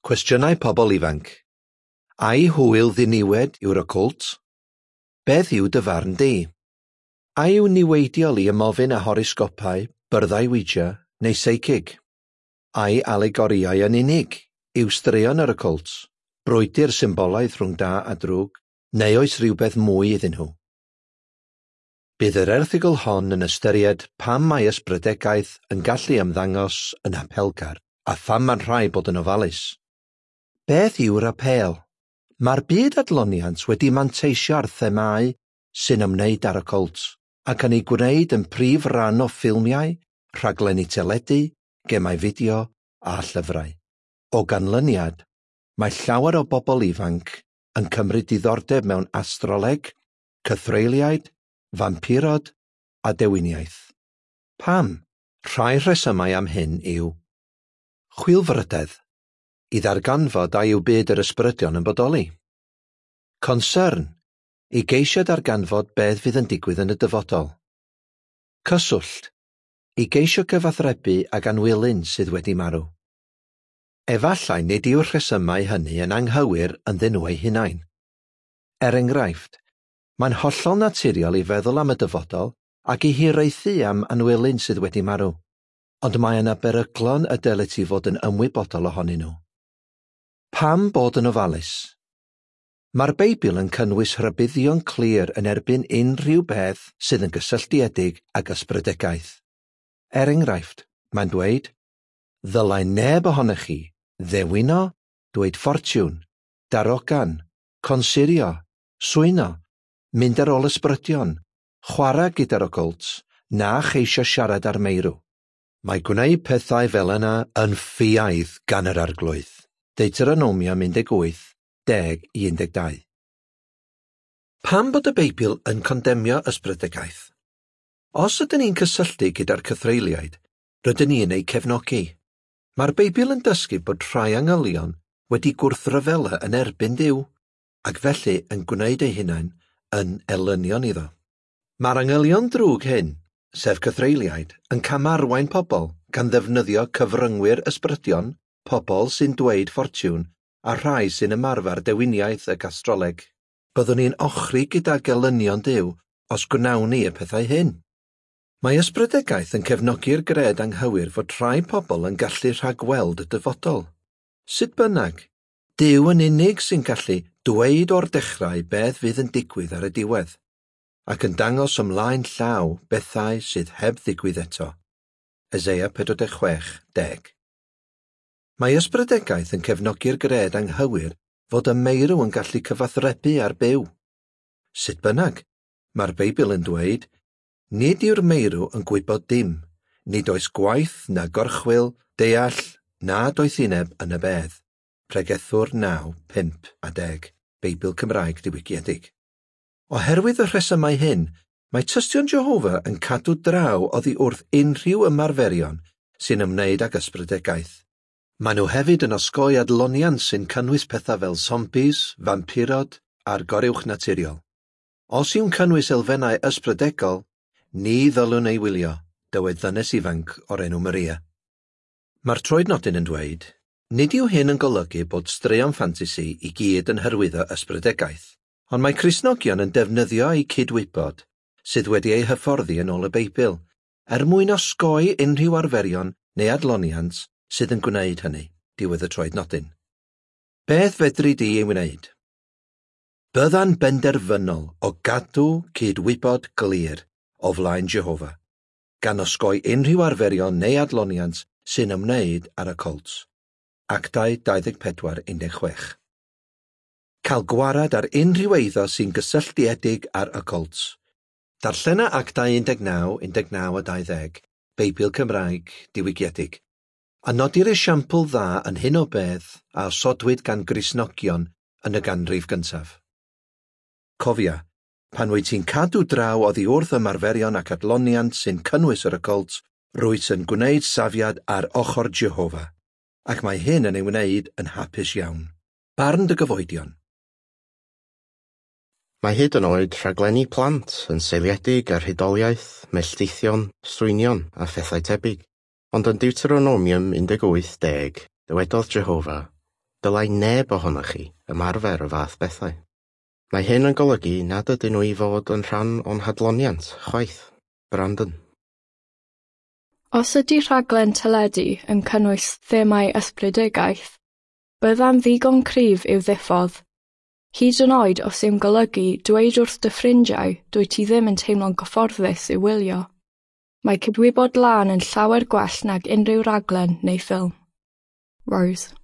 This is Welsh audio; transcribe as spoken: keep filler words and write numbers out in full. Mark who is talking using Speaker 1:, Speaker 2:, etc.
Speaker 1: Cwestiynau pobl ifanc. Ai hwyl ddiniwed yw'r ocwlt? Beth yw dy farn di? A yw niweidiol i ymofyn â horosgopau, byrddau Ouija neu seicig? Ai alegorïau yn unig yw straeon yr ocwlt, brwydr symbolaidd rhwng da a drwg, neu oes rhywbeth mwy iddyn nhw? Bydd yr erthygl hon yn ystyried pam mae ysbrydegaeth yn gallu ymddangos yn apelgar a pham mae'n rhaid bod yn ofalus. Beth yw'r apêl? Mae'r byd adloniant wedi manteisio ar themâu sy'n ymwneud â'r ocwlt ac yn ei gwneud yn prif ran o ffilmiau, rhaglenni teledu, gemau fideo a llyfrau. O ganlyniad, mae llawer o bobl ifanc yn cymryd diddordeb mewn astroleg, cythreuliaid, fampirod a dewiniaeth. Pam? Rhai rhesymau am hyn yw chwilfrydedd, i ddarganfod a yw byd yr ysbrydion yn bodoli. Concern, i geisio darganfod beth fydd yn digwydd yn y dyfodol. Cyswllt, i geisio cyfathrebu ag anwylyn sydd wedi marw. Efallai nid yw'r rhesymau hynny yn anghywir ynddyn nhw eu hunain. Er enghraifft, mae'n hollol naturiol i feddwl am y dyfodol ac i hiraethu am anwylyn sydd wedi marw, ond mae yna beryglon y dylet ti fod yn ymwybodol ohonyn nhw. Pam bod yn ofalus? Mae'r Beibl yn cynnwys rhybuddion clir yn erbyn unrhyw beth sydd yn gysylltiedig ag ysbrydegaeth. Er enghraifft, mae'n dweud, ddylai neb ohonoch chi ddewino, dweud ffortiwn, darogan, consurio, swyno, mynd ar ôl ysbrydion, chwarae gyda'r ocwlt, na cheisio siarad â'r meirw. Mae gwneud pethau fel yna yn ffiaidd gan yr Arglwydd. Deuteronomium un deg wyth, deg i un deg dau. Pam bod y Beibl yn condemio ysbrydegaeth? Os ydyn ni'n cysylltu gyda'r cythreuliaid, rydyn ni'n eu cefnogi. Mae'r Beibl yn dysgu bod rhai angylion wedi gwrthryfela yn erbyn Duw, ac felly yn gwneud eu hunain yn elynion iddo. Mae'r angylion drwg hyn, sef cythreuliaid, yn camarwain pobl gan ddefnyddio cyfryngwyr ysbrydion, pobl sy'n dweud ffortiwn, a rhai sy'n ymarfer dewiniaeth ac astroleg. Byddwn ni'n ochri gyda gelynion Duw os gwnawn ni y pethau hyn. Mae ysbrydegaeth yn cefnogi'r gred anghywir fod rhai pobl yn gallu rhagweld y dyfodol. Sut bynnag, Duw yn unig sy'n gallu dweud o'r dechrau beth fydd yn digwydd ar y diwedd, ac yn dangos ymlaen llaw bethau sydd heb ddigwydd eto. Eseia pedwar deg chwech, deg. Mae ysbrydegaeth yn cefnogi'r gred anghywir fod y meirw yn gallu cyfathrebu â'r byw. Sut bynnag, mae'r Beibl yn dweud, nid yw'r meirw yn gwybod dim, nid oes gwaith na gorchwyl, deall na doethineb yn y bedd. Pregethwr naw, pump a deg, Beibl Cymraeg diwygiedig. Oherwydd y rhesymau hyn, mae tystion Jehofa yn cadw draw oddi wrth unrhyw ymarferion sy'n ymwneud ag ysbrydegaeth. Maen nhw hefyd yn osgoi adloniant sy'n cynnwys pethau fel zombies, fampirod a'r goruwch naturiol. Os yw'n cynnwys elfennau ysbrydegol, ni ddylwn ei wylio, dywed ddynes ifanc o'r enw Maria. Mae'r troednodyn yn dweud, nid yw hyn yn golygu bod straeon ffantasi i gyd yn hyrwyddo ysbrydegaeth, ond mae Cristnogion yn defnyddio eu cydwybod, sydd wedi eu hyfforddi yn ôl y Beibl, er mwyn osgoi unrhyw arferion neu adloniant sydd yn gwneud hynny, diwedd y troednodyn. Beth fedri di ei wneud? Bydda'n benderfynol o gadw cydwybod glir o flaen Jehofa, gan osgoi unrhyw arferion neu adloniant sy'n ymwneud â'r ocwlt. Actau dau ddeg pedwar un deg chwech. Cael gwarad ar unrhyw eiddo sy'n gysylltiedig â'r ocwlt. Darllena Actau un deg naw, un deg naw a dau ddeg, Beibl Cymraeg diwygiedig, a nodir esiampl dda yn hyn o beth a osodwyd gan Gristnogion yn y ganrif gyntaf. Cofia, pan wyt ti'n cadw draw oddi wrth ymarferion ac adloniant sy'n cynnwys yr ocwlt, rwyt yn gwneud safiad ar ochr Jehofa, ac mae hyn yn ei wneud yn hapus iawn. Barn dy gyfoedion.
Speaker 2: Mae hyd yn oed rhaglenni plant yn seiliedig ar hudoliaeth, melltithion, swynion a phethau tebyg. Ond yn Deuteronomium un deg wyth deg, dywedodd Jehofa, Dylai neb ohonoch chi ymarfer y fath bethau. Mae hyn yn golygu nad ydyn nhw i fod yn rhan o'n hadloniant, chwaith. Brandon.
Speaker 3: Os ydy rhaglen teledu yn cynnwys themâu ysbrydigaeth, bydda'n ddigon cryf i'w ddiffodd. Hyd yn oed os yw'n golygu dweud wrth dy ffrindiau dwyt ti ddim yn teimlo'n gyfforddus i'w wylio. Mae cydwybod lân yn llawer gwell nag unrhyw raglen neu ffilm. Rose.